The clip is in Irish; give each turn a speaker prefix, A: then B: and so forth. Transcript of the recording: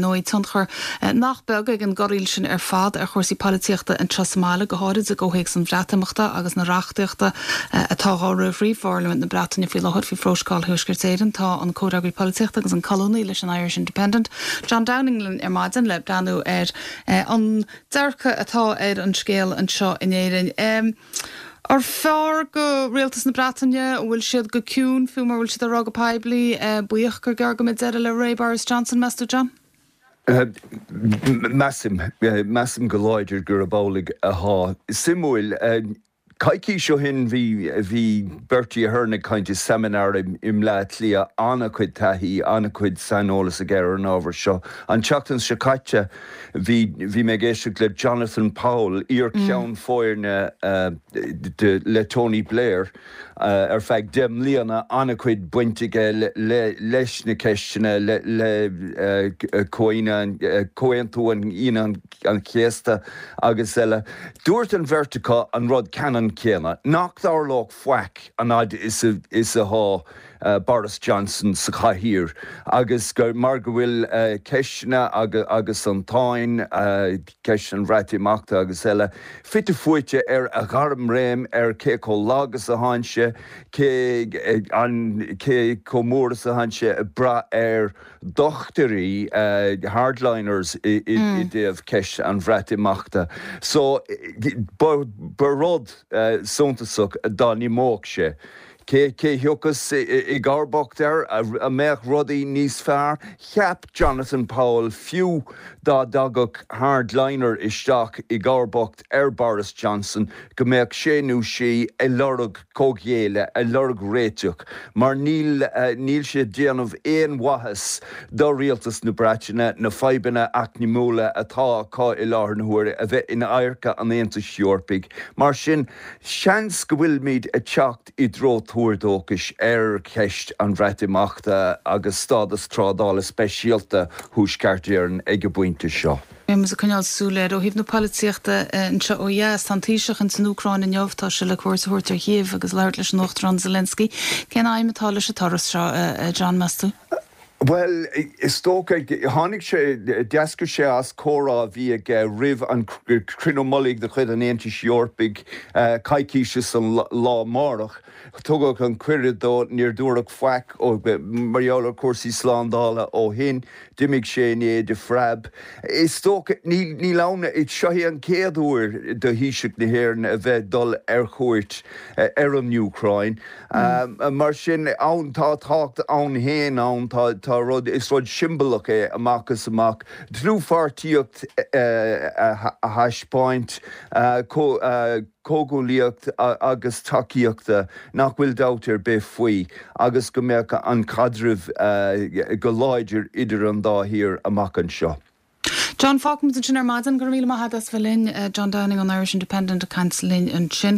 A: Ndóigh, tionchar nach beag ag an gcorraíl sin ar fad ar chúrsaí polaitíochta anseo sa mbaile, go háirid i gcomhthéacs an Bhreatimeachta agus na reachtaíochta atá á rith thrí Pharlaimint na Breataine faoi láthair faoi Phrótocol Thuaisceart Éireann. Tá an comhfhreagraí polaitíochta agus an colúnaí leis an Irish Independent, John Downing linn ar maidin le breathnú ar an dearcadh atá ar an scéal anseo in Éirinn. Arbh fhearr do Rialtas na Breataine, an bhfuil siad go ciúin, fiú mura bhfuil siad á rá go poiblí, buíoch gur gearr go mbeidh deireadh le ré Boris Johnson, meas tú, John?
B: Measaim. Measaim go láidir gurb amhlaidh atá. Suimiúil, coicís ó shin bhí bhí Bertie Ahern ag caint i seimineár i mBleá Cliath, an-chuid taithí, an-chuid saineolas aige ar an ábhar seo. An tseachtain seo caite, Bhí, bhí mé ag éisteacht le Jonathan Powell, iar-cheann foirne le Tony Blair ar feadh 10 mbliana, an-chuid baint aige leis na ceisteanna, le Comhaontú Aoine an Chéasta agus eile. Dúirt an bheirt acu an rud ceannann céanna, nach dtarlódh faic an fhad is atá Boris Johnson sa chathaoir agus gur mar go bhfuil ceisteanna agus an tsáinn, ceist an Bhreatimeachta agus eile, fite fuaite ar a ghairmréim, ar cé chomh lag is atánn sé, cé cé chomh mór is atánn sé ag brath ar dhochtairí, hardliners, i dtaobh ceist an Bhreatimeachta. So ba rud suntasach dá n-imeodh sé. Cé thiocfas i gcomharbacht air? An mbeadh rudaí níos fearr? Cheap Jonathan Powell fiú dá dtagadh hardliner isteach i gcomharbacht ar Boris Johnson go mbeadh sé nó sí ag lorg comhghéilleadh, ag lorg réiteach mar níl níl sé ag déanamh aon mhaitheas do rialtas na Breataine na fadhbanna eacnamúla atá acu i láthair na huaire a bheith in adharca an Aontais Eorpaigh. Mar sin, Seans go bhfuilimid ag teacht i dtreo tuar dóchais ar cheist an Bhreatimeachta agus stádas trádála speisialta Thuaisceart Éireann ag an bpointe seo.
A: Beidh muid ag coinneáil súil air. Ó thaobh na polaitíochta anseo ó dheas, tá an Taoiseach ins an Úcráin inniu, tá sé le cuairt a thabhairt ar Chív agus labhairt leis an Uachtarán Zelensky. Cén aidhm atá leis an turas seo, a John, meas tú?
B: Bhuel, is dócha, tháinig sé, d'eascair sé as comhrá a bhí aige roimh an cruinniú mullaigh de chuid an Aontais Eorpaigh coicís is an lá amárach. Tugadh an cuireadh dó, níor dúradh faic mar gheall ar chúrsaí slándála ó shin. D'imigh sé inné de phreab. Is dócha, níl ann, seo é an chéad uair do Thaoiseach na hÉireann a bheith dul ar chuairt ar an Úcráin. Mar sin, ann, tá tábhacht ann féin ann, tá, tá rud, is rud siombalach é amach is amach, dlúthpháirtíocht a thaispeáint, comhghuaillíocht agus tacaíochta nach bhfuil dabht ar bith faoi agus go mbeadh an caidreamh go láidir idir an dá thír amach anseo.
A: John, fágfaimid ansin ar maidin. Go raibh míle maith agat as bheith linn. John Downing ón Irish Independent ag caint linn ansin.